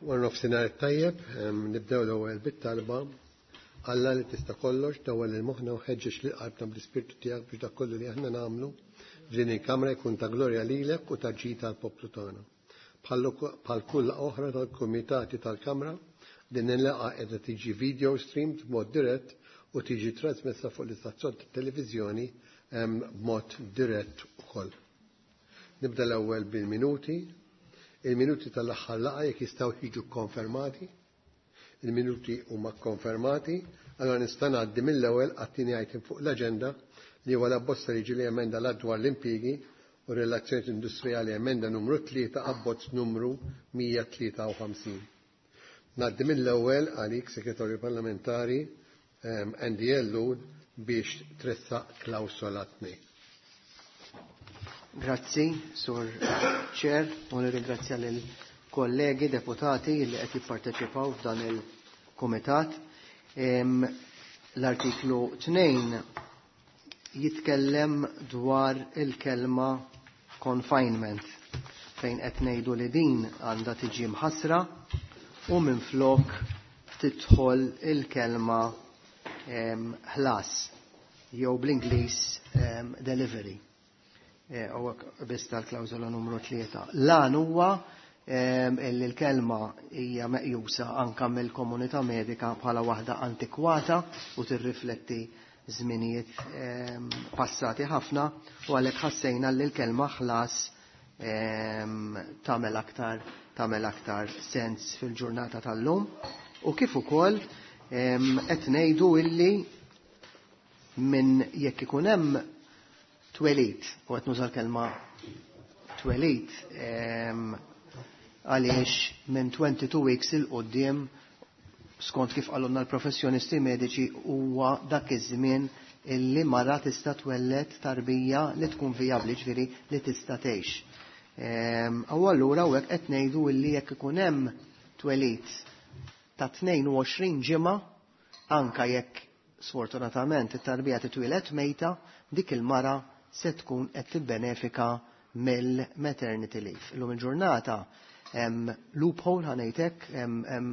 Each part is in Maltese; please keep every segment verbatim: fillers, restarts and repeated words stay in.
Wara nofsinhar tajjeb, nibdew l-ewwel bit-talba. Alla li tista' kollox, dawwal lil moħħna u ħeġġeġ lil qalbna bl-ispirtu tiegħek biex dak kollu li aħna nagħmlu f'din il-kamra jkun ta' glorja lilek u ta' ġid tal-poplu tagħna. Bħal kull oħra tal-kumitati tal-Kamra, din il-laqgħa qiegħda tiġi video streamed b'mod dirett u tiġi trasmessa fuq l-istazzjon tat-televiżjoni b'mod dirett ukoll. Nibda l-ewwel bil-minuti. Il-minuti tal-aħħar laqgħa jekk jistgħu jiġu konfermati. Il-minuti huma konfermati, allora nista' ngħaddi mill-ewwel għat-tieni item fuq l-aġenda li huwa l-abbozz ta' liġi li emenda l dwar l-impjiegi u relazzjonijiet industrijali emenda numru tlieta abbozz numru mija tlieta u ħamsin. Ngħaddi mill-ewwel għalik Segretarju Parlamentari Andy Ellul biex tressaq klawsola tnejn. Grazzi, Sur Chair, u nirringrazzja lil kollegi deputati li qed jipparteċipaw f'dan il-kumitat. L-artiklu tnejn jitkellem dwar il-kelma confinement, fejn qed ngħidu li din għandha tiġi mħassra u minflok tidħol il-kelma ħlas jew bl-Ingliż delivery. U biss tal-klawżola numru tlieta. Lan huwa illi l-kelma hija meqjusa anka mill-komunità medika bħala waħda antikwata u tirrifletti żminijiet passati ħafna, u għalhekk ħassejna li l-kelma ħlas tagħmel aktar tagħmel aktar sens fil-ġurnata tal-lum. U kif ukoll qed ngħidu illi minn jekk ikun hemm twelid, u qed nuża l-kelma twelid għaliex minn twenty-two weeks il quddiem skont kif qalulna l-professjonisti mediċi huwa dak iż-żmien illi mara tista' twelled tarbija li tkun vijabbli, ġifieri li tista' tgħix. U allura hawnhekk qed ngħidu illi jekk ikun hemm twelid ta' tnejn u għoxrin ġimgħa, anka jekk sfortunatament it-tarbija titwieled mejta, dik il-mara se tkun qed tibbenefika mill-maternity leave. Illum il-ġurnata hemm loophole ħanejtek, hemm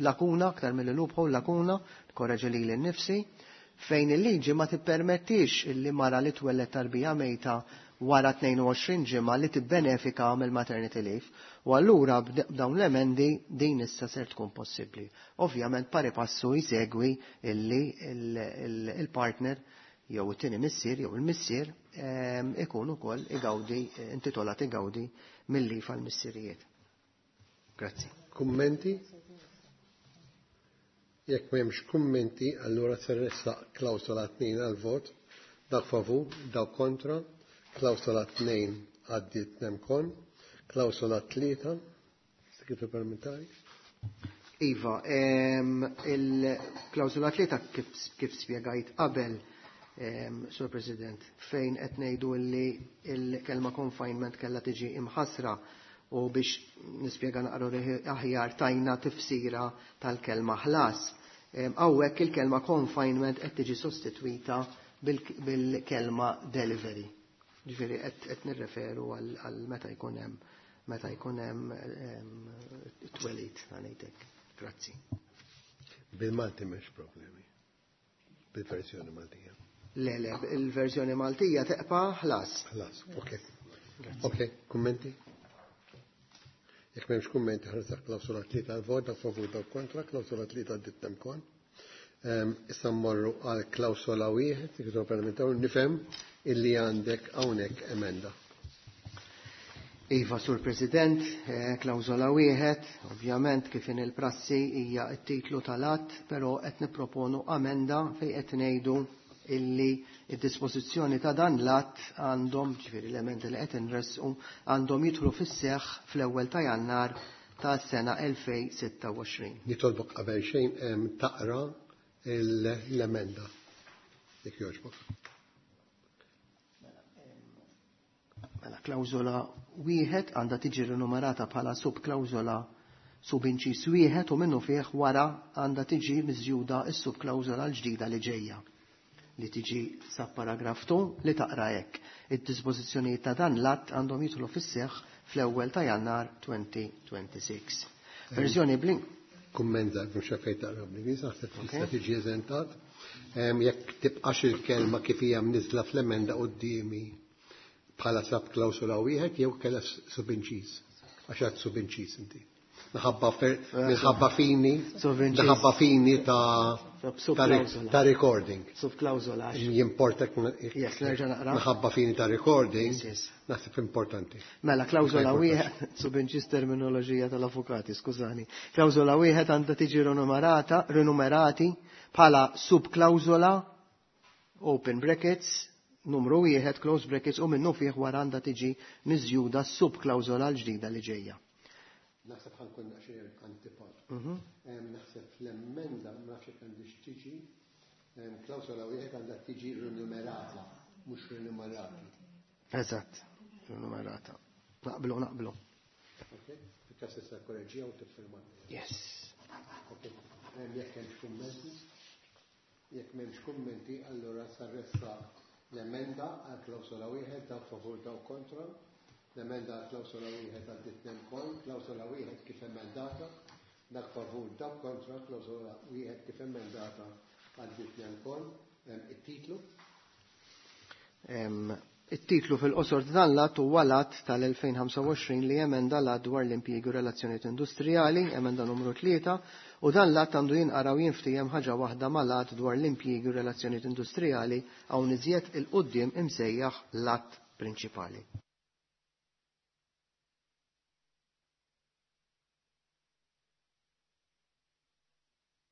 lakuna, aktar mill loophole lakuna, korreġi lili nnifsi, fejn il-liġi ma tippermettix illi mara li twelled tarbija mejta wara tnejn u għoxrin ġimgħa li tibbenefika mill-maternity leave. U allura b'dawn l-emendi din issa ser tkun possibbli. Ovvjament pari passu jsegwi illi il-partner jew it-tieni missier jew il-missier ikun ukoll igawdi, intitolat igawdi mill-leave għall-missirijiet. Grazzi. Kummenti? Jekk m'hemmx kummenti, allura se nressaq klawsola tnejn għall-vot. Dak favur, dak kontra. Klawsola tnejn għaddiet nemkon. Klawsola tlieta, Segretarju Parlamentari. Iva, il-klawsola tlieta kif, kif spjegajt qabel, Sur President, fejn qed ngħidu li l-kelma confinement kellha tiġi imħassra, u biex nispjega naqra aħjar tajna tifsira tal-kelma ħlas. Hawnhekk il-kelma confinement qed tiġi sostitwita bil-kelma delivery. Ġifieri qed nirreferu għal meta jkun hemm meta jkun hemm twelid, ngħidlek. Grazzi. Bil-Malti m'hemmx problemi. Bil-verżjoni Maltija. Le, le, il-verżjoni Maltija teqpa' ħlas. Ħlas, ok. Ok, kummenti? Jekk m'hemmx kummenti ħarsaq klawsola tlieta għal vot, dak favur, dak kontra, klawsola tlieta għaddiet nemkon. Issa mmorru għal klawsola wieħed, Segretarju Parlamentari, nifhem illi għandek hawnhekk emenda. Iva, Sur President, klawsola wieħed, ovvjament kif in il-prassi hija t-titlu tal-att, però qed nipproponu amenda fejn qed ngħidu illi id-dispożizzjoni ta' dan l-att għandhom, ġifieri l-emendi li qed inressqu, għandhom jidħlu fis-seħħ fl-ewwel ta' Jannar ta' sena elfejn sitta u għoxrin. Nitolbok qabel xejn taqra l-emenda. Jekk jogħġbok. Mela, klawżola wieħed għandha tiġi rinumerata bħala subklawżola subinċis wieħed u minnu fih wara għandha tiġi miżjuda s-subklawżola l-ġdida li ġejja, li tiġi sa paragraf two li taqra hekk. Id-dispożizzjonijiet ta' dan l-att għandhom jidħlu fis-seħħ fl-ewwel ta' Jannar twenty twenty-six. Verżjoni blin. Kummenta, mhux fejn taqra bl-Ingliż, naħseb tista' tiġi eżentat. Jekk tibqax il-kelma kif hija mniżla fl-emenda quddiemi bħala sub klawsola wieħed jew kellha subinċiż. Għax għad subinċiż inti. Minħabba minħabba fini, minħabba fini ta' ta' recording. Subklawsola. Jimporta Yes, nerġa' naqra. Minħabba fini ta' recording, naħseb importanti. Mela, klawsola wieħed, subinċiż terminoloġija tal-avukati, skużani. Klawsola wieħed għandha tiġi rinumerata, rinumerati bħala subklawsola, open brackets, numru wieħed, close brackets, u minnu fih wara għandha tiġi miżjuda subklawsola l-ġdida li ġejja. Naħseb ħankun naqxer antipat. Naħseb fl-emenda, ma nafx jekk għandix tiġi, klawsola wieħed għandha tiġi rinumerata, mhux rinumerati. Eżatt, rinumerata. Naqblu, naqblu. Ok, fil-każ tista' korreġija u tiffirma. Yes. Ok, jekk hemmx kummenti, jekk m'hemmx kummenti, allura sarressa l-emenda għal klawsola wieħed dawk favur dawk kontra. L-emenda għal klawsola wieħed għaddit nemkol, klawsola wieħed kif emendata, dak favur dak kontra, klawsola wieħed kif emendata għaddit nemkol. It-titlu? It-titlu fil-qosor dan l-att huwa l-att tal-elfejn ħamsa u għoxrin li emenda l-att dwar l-impjiegi u relazzjonijiet industrijali, emenda numru tlieta, u dan l-att għandu jinqara u jinftiehem ħaġa waħda mal-att dwar l-impjiegi u relazzjonijiet industrijali hawn iżjed il-quddiem imsejjaħ l-att prinċipali.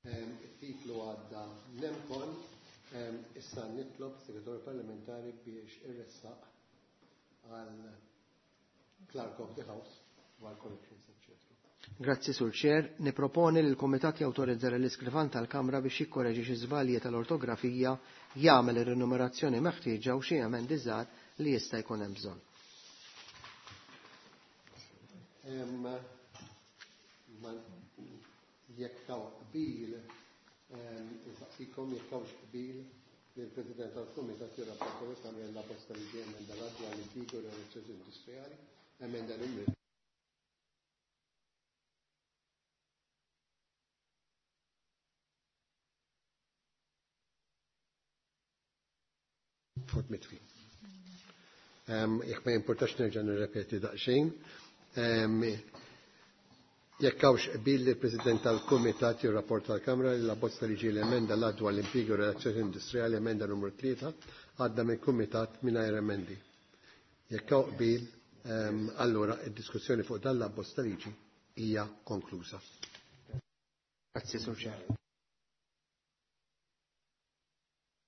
It-titlu għadda nemkon. Issa nitlob segretarju parlamentari biex irressaq għal Clerk of the House u għal corrections, eccetera. Grazzi, Sur Chair. Niproponi li l-Kumitat jawtorizza l-iskrivan tal-Kamra biex jikkoreġi xi żbalji tal-ortografija, jagħmel ir-rinumerazzjoni meħtieġa u xi emendi żgħar li jista' jkun hemm bżonn. Jekk taw qbil, insaqsikom jekk tawx qbil li l-President tal-Kumitat jirrapporta li tagħmel la bosta li ġie emenda l-att dwar l-impjiegi u relazzjoni industrijali, emenda numru Fort mitfi. Jekk ma jimportax nerġa' nirrepeti daqsxejn. Jekk hawnx qbil li l-President tal-Kumitat jirrapporta l-Kamra li la bozza li ġie l-emenda l-att dwar l-impjiegi u relazzjoni industrijali emenda numru tlieta għadda mill-Kumitat mingħajr emendi. Jekk hawn qbil, allura id-diskussjoni fuq dan l-abbozz ta' liġi hija konkluża. Grazzi, Sur Chair.